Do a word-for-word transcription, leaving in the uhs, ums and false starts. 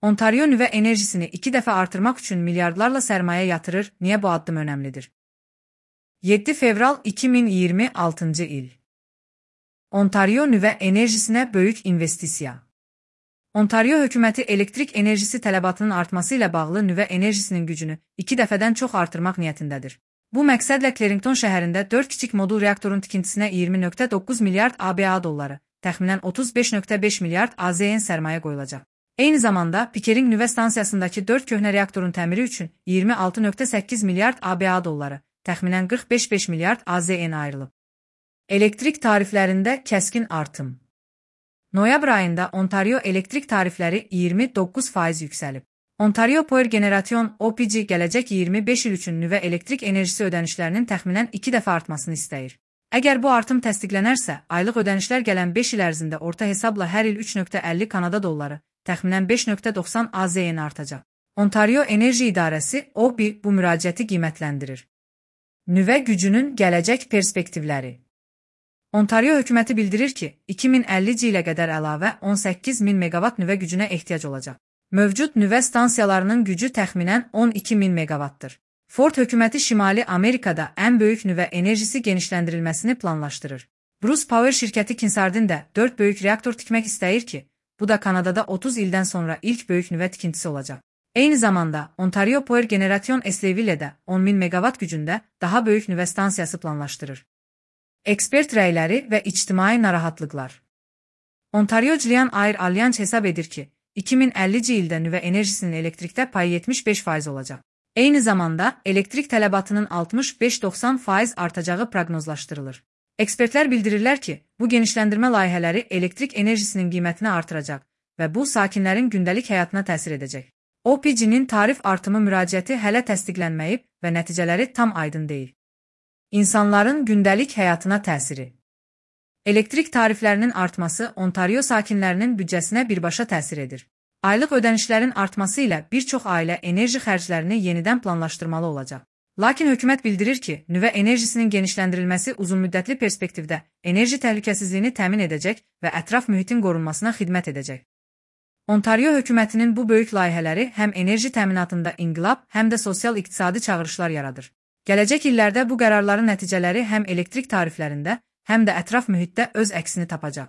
Ontario nüvə enerjisini iki dəfə artırmaq üçün milyardlarla sərmayə yatırır. Niyə bu addım önəmlidir? yeddi fevral iki min iyirmi altıncı il. Ontario nüvə enerjisinə böyük investisiya. Ontario hökuməti elektrik enerjisi tələbatının artması ilə bağlı nüvə enerjisinin gücünü iki dəfədən çox artırmaq niyyətindədir. Bu məqsədlə Clarington şəhərində dörd kiçik modul reaktorun tikintisinə iyirmi nöqtə doqquz milyard ABA dolları, təxminən otuz beş nöqtə beş milyard AZN sərmayə qoyulacaq. Eyni zamanda Pickering nüvə stansiyasındakı dörd köhnə reaktorun təmiri üçün iyirmi altı nöqtə səkkiz milyard ABA dolları, təxminən qırx beş nöqtə beş milyard AZN ayrılıb. Elektrik tariflərində kəskin artım. Noyabr ayında Ontario elektrik tarifləri iyirmi doqquz faiz yüksəlib. Ontario Power Generation O P G gələcək iyirmi beş il üçün nüvə elektrik enerjisi ödənişlərinin təxminən iki dəfə artmasını istəyir. Əgər bu artım təsdiqlənərsə, aylıq ödənişlər gələn beş il ərzində orta hesabla hər il üç nöqtə əlli Kanada dolları, təxminən beş nöqtə doxsan AZN artacaq. Ontario Enerji İdarəsi O B bu müraciəti qiymətləndirir. Nüvə gücünün gələcək perspektivləri. Ontario hökuməti bildirir ki, iki min əllinci ilə qədər əlavə on səkkiz min meqavat nüvə gücünə ehtiyac olacaq. Mövcud nüvə stansiyalarının gücü təxminən on iki min meqavatdır. Ford hökuməti Şimali Amerikada ən böyük nüvə enerjisi genişləndirilməsini planlaşdırır. Bruce Power şirkəti Kinsardin də dörd böyük reaktor tikmək istəyir ki, bu da Kanadada otuz ildən sonra ilk böyük nüvə tikintisi olacaq. Eyni zamanda, Ontario Power Generation Esleyville'də on min meqavat gücündə daha böyük nüvə stansiyası planlaşdırır. Ekspert rəyləri və ictimai narahatlıqlar. Ontario Julian Air Alliance hesab edir ki, iki min əllinci ildə nüvə enerjisinin elektrikdə payı yetmiş beş faiz olacaq. Eyni zamanda, elektrik tələbatının altmış beş doxsan faiz artacağı proqnozlaşdırılır. Ekspertlər bildirirlər ki, bu genişləndirmə layihələri elektrik enerjisinin qiymətini artıracaq və bu sakinlərin gündəlik həyatına təsir edəcək. O P G-nin tarif artımı müraciəti hələ təsdiqlənməyib və nəticələri tam aydın deyil. İnsanların gündəlik həyatına təsiri. Elektrik tariflərinin artması Ontario sakinlərinin büdcəsinə birbaşa təsir edir. Aylıq ödənişlərin artması ilə bir çox ailə enerji xərclərini yenidən planlaşdırmalı olacaq. Lakin hökumət bildirir ki, nüvə enerjisinin genişləndirilməsi uzunmüddətli perspektivdə enerji təhlükəsizliyini təmin edəcək və ətraf mühitin qorunmasına xidmət edəcək. Ontario hökumətinin bu böyük layihələri həm enerji təminatında inqilab, həm də sosial-iqtisadi çağırışlar yaradır. Gələcək illərdə bu qərarların nəticələri həm elektrik tariflərində, həm də ətraf mühitdə öz əksini tapacaq.